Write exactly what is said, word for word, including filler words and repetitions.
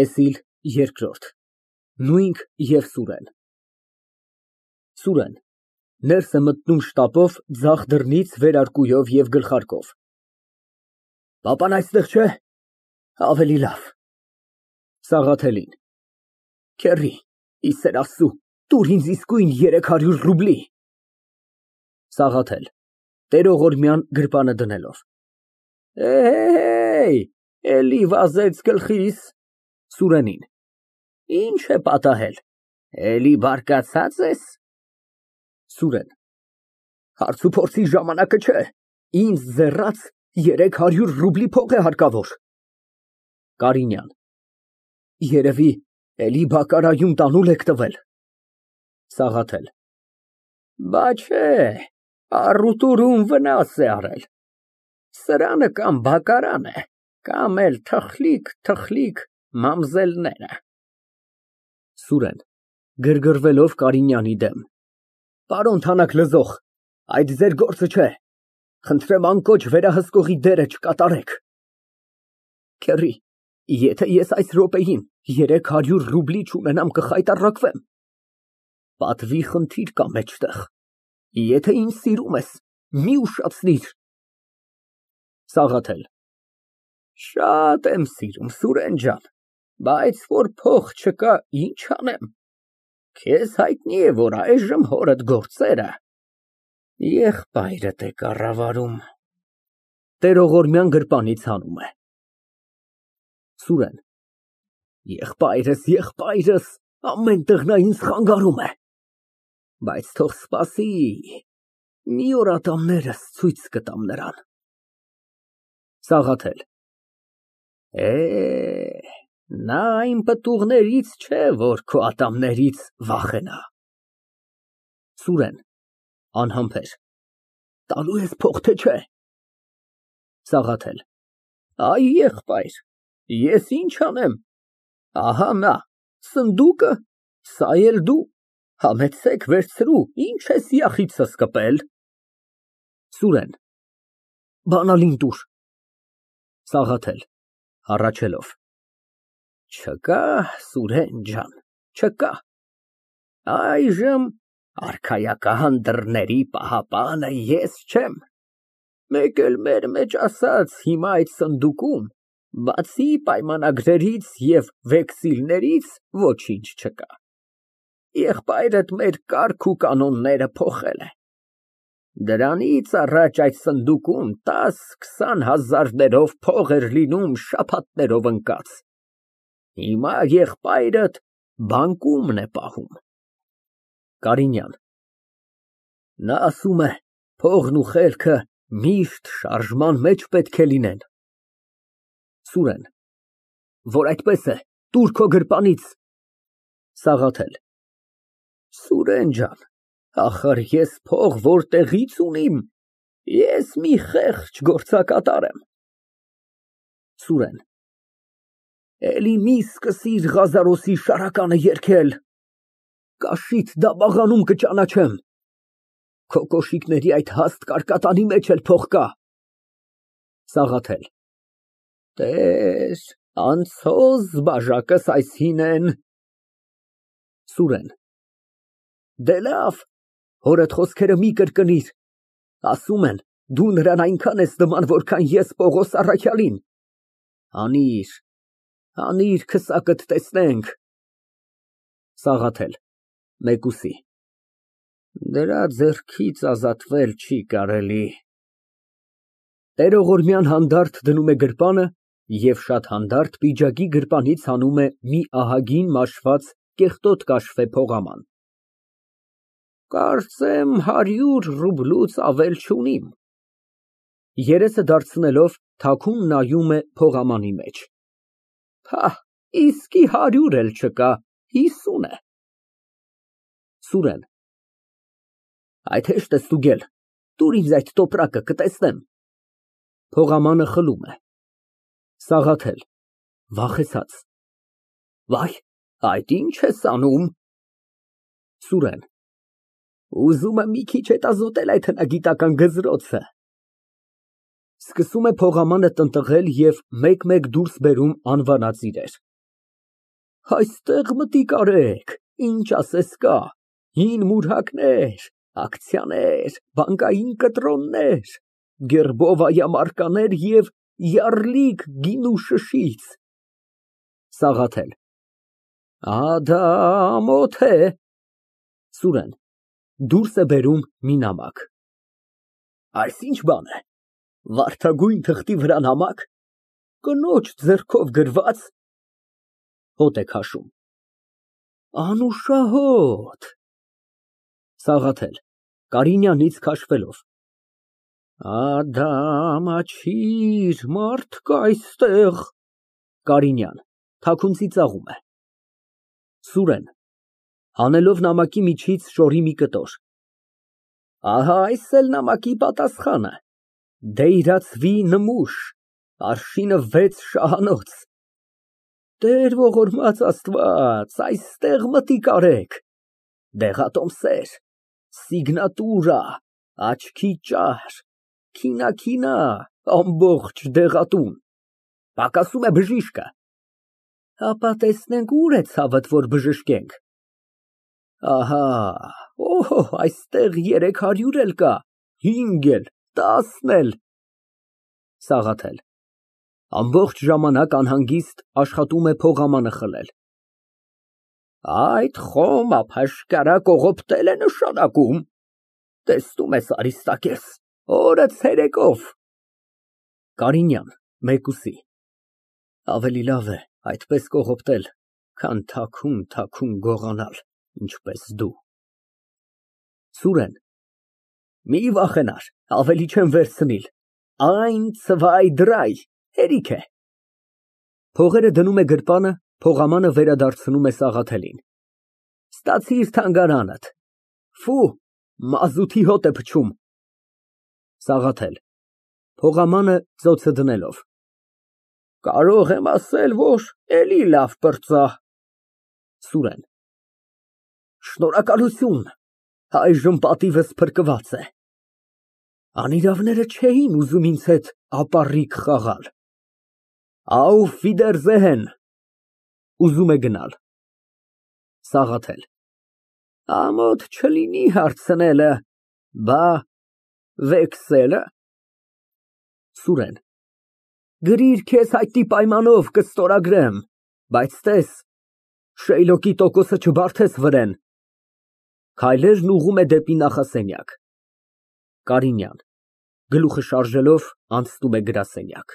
ՏԵՍԻԼ երկրորդ ՆՈՒՅՆՔ ԵՎ ՍՈՒՐԵՆ ՍՈՒՐԵՆ ֊ Ներս է մտնում շտապով, ձախ դռնից վերարկուով և գլխարկով։ Պապան այստեղ չէ՞։ Ավելի լավ։ (Սաղաթելին) Քեռի, ի սեր Աստծու, տուր ինձ իսկույն երեք հարյուր ռուբլի։ ՍԱՂԱԹԵԼ ֊ (Տեղողորմյան գրպանը դնելով) Էհեյ, էլի վազեց գլխիս։ (Սուրենին) Ի՞նչ է պատահել, էլի բարկացած ես։ ՍՈՒՐԵՆ ֊ Հարցուփորձի ժամանակը չէ, ինձ ձեռաց երեք հարյուր ռուբլի փող է հարկավոր։ (Կարինյան) Երևի էլի բակարայում տանուլ եք տվել։ ՍԱՂԱԹԵԼ ֊ Բա չէ, առուտուրում վնաս է արել, սրանը կամ բակարան է, կամ էլ թխլիկ֊թխլիկ մամզելները։ ՍՈՒՐԵՆ ֊ (Գրգռվելով Կարինյանի դեմ) Պարոն թանաքլգող, այդ ձեր գործը չէ, խնդրեմ անկոչ վերահսկողի դերը չկատարեք։ Քեռի, եթե ես այս րոպեին երեք հարյուր ռուբլի չունենամ, կխայտառակվեմ։ Պատվի խնդիր կա մեջտեղ, եթե ինձ սիրում ես, մի ուշացնիր։ ՍԱՂԱԹԵԼ ֊ Շատ եմ սիրում, Սուրեն ջան, բայց որ փող չկա, ինչ անեմ։ Քեզ հայտնի է, որ այժմ հորդ գործերը եղբայրդ է կառավարում։ (Տեղողորմյան գրպանից հանում է) ՍՈՒՐԵՆ ֊ Եղբայրս, եղբայրս, ամենտեղ նա ինձ խանգարում է, բայց թող սպասի, մի օր ատամներս ցույց կտամ նրան։ ՍԱՂԱԹԵԼ ֊ Է, նա այն պտուղներից չէ, որ քո ատամներից վախենա։ ՍՈՒՐԵՆ ֊ (Անհամբեր) Տալո՞ւ ես փող, թե չէ։ ՍԱՂԱԹԵԼ ֊ Այ, եղբայր, ես ինչ անեմ, ահա նա, սնդուկը, սա էլ դու, համեցեք վերցրու, ինչ ես յախիցս կպել։ ՍՈՒՐԵՆ ֊ Բանալին տուր։ ՍԱՂԱԹԵԼ ֊ (Հառաչելով) Չկա, Սուրեն ջան, չկա, այժմ արքայական դռների պահապանը ես չեմ, մեկ էլ մեր մեջ ասած, հիմա այդ սնդուկում, բացի պայմանագրերից և վեքսիլներից, ոչինչ չկա։ Եղբայրդ մեր կարգ ու կանոնները փոխել է։ Դրանից առաջ այդ սնդուկում տաս֊քսան հազարներով փող էր լինում շաբաթներով ընկած, հիմա եղբայրդ բանկումն է պահում։ (Կարինյան) Նա ասում է, փողն ու խելքը միշտ շարժման մեջ պետք է լինեն։ ՍՈՒՐԵՆ ֊ Որ այդպես է, տուր քո գրպանից։ ՍԱՂԱԹԵԼ ֊ Սուրեն ջան, ախար ես փող որտեղի՞ց ունիմ, ես մի խեղճ գործակատար եմ։ ՍՈՒՐԵՆ ֊ Էլի մի սկսիր Ղազարոսի շարականը երգել, կաշիդ դաբախանում կճանաչեմ, քո կոշիկների այդ հաստ կարկատանի մեջ էլ փող կա։ ՍԱՂԱԹԵԼ ֊ Տեր, անցո զբաժակս այս հինեն։ ՍՈՒՐԵՆ ֊ Դե լավ, հորդ խոսքերը մի կրկնիր, ասում են, դու նրան այնքան ես նման, որքան ես Պողոս առաքյալին։ Հանիր, հանիր քսակդ տեսնենք։ ՍԱՂԱԹԵԼ ֊ (Մեկուսի) Դրա ձեռքից ազատվել չի կարելի։ (Տեղողորմյան հանդարտ դնում է գրպանը և շատ հանդարտ պիջակի գրպանից հանում է մի ահագին մաշված կեղտոտ կաշվե փողաման) Կարծեմ հարյուր ռուբլուց ավել չունիմ։ (Երեսը դարձնելով, թաքուն նայում է փողամանի մեջ) Փահ, իսկի հարյուր էլ չկա, հիսուն է։ ՍՈՒՐԵՆ ֊ Այդ հեշտ է ստուգել, տուր ինձ այդ տոպրակը, կտեսնեմ։ (Փողամանը խլում է)։ ՍԱՂԱԹԵԼ ֊ (Վախեցած) Վայ, այդ ի՞նչ ես անում։ ՍՈՒՐԵՆ ֊ Ուզում եմ մի քիչ հետազոտել այդ հնագիտական գզրոցը։ (Սկսում է փողամանը տնտղել և մեկ֊մեկ դուրս բերում անվանած իրեր)։ Այստեղ մտիկ արեք, ինչ ասես կա, հին մուրհակներ, ակցիաներ, բանկային կտրոններ, գերբովայամարկաներ և յառլիկ գինու շշից։ ՍԱՂԱԹԵԼ ֊ Ադա ամոթ է։ ՍՈՒՐԵՆ ֊ (Դուրս է բերում մի նամակ) Այս ի՞նչ բան է, վարդագույն թղթի վրա նամա՞կ, կնոջ ձեռքով գրվա՞ծ։ (Հոտ է քաշում) Անուշահոտ… ՍԱՂԱԹԵԼ ֊ (Կարինյանից քաշվելով) Ադա ամաչիր, մարդ կա այստեղ։ ԿԱՐԻՆՅԱՆ ֊ (Թաքուն ծիծաղում է) ՍՈՒՐԵՆ ֊ (Հանելով նամակի միջից շորի մի կտոր) Ահա այս էլ նամակի պատասխանը, դեյրացվի նմուշ, արշինը վեց շահանոց։ Տեր ողորմած Աստված, այստեղ մտիկ արեք, դեղատոմսեր, սիգնատուրա, աչքի ճար, քինաքինա, ամբողջ դեղատուն, պակասում է բժիշկը։ Հապա տեսնենք ուր է ցավդ, որ բժշկենք։ Ահա, այստեղ երեք հարյուր էլ կա, հինգ էլ, տասն էլ… ՍԱՂԱԹԵԼ ֊ (Ամբողջ ժամանակ անհանգիստ աշխատում է փողամանը խլել) Այդ խոմ ափաշկարա կողոպտել է նշանակում, տեսնում ես, Արիստակես, օրը ցերեկով… ԿԱՐԻՆՅԱՆ ֊ (Մեկուսի) Ավելի լավ է այդպես կողոպտել, քան թաքուն գողանալ, ինչպես դու… ՍՈՒՐԵՆ ֊ Մի վախենար, ավելի չեմ վերցնիլ, eins zwei drei, հերիք է։ (Փողերը դնում է գրպանը, փողամանը վերադարձնում է Սաղաթելին) Ստացիր թանգարանդ, մազութի հոտ է փչում։ ՍԱՂԱԹԵԼ ֊ (Փողամանը ծոցը դնելով) Կարող եմ ասել, որ էլի լավ պրծա… ՍՈՒՐԵՆ ֊ Շնորհակալություն, այժմ պատիվս փրկված է։ Անիրավները չէին ուզում ինձ հետ ապառիկ խաղալ։ Աուֆ վիդերզեհեն։ (Ուզում է գնալ) ՍԱՂԱԹԵԼ ֊ Ամոթ չլինի հարցնելը, բա վեքսե՞լը։ ՍՈՒՐԵՆ ֊ Գրիր քեզ հայտնի պայմանով կստորագրեմ, բայց տես, Շեյլոկի տոկոսը չբարդես վրեն։ (Քայլերն ուղղում է դեպի նախասենյակ)։ ԿԱՐԻՆՅԱՆ ֊ (Գլուխը շարժելով, անցնում է գրասենյակ)։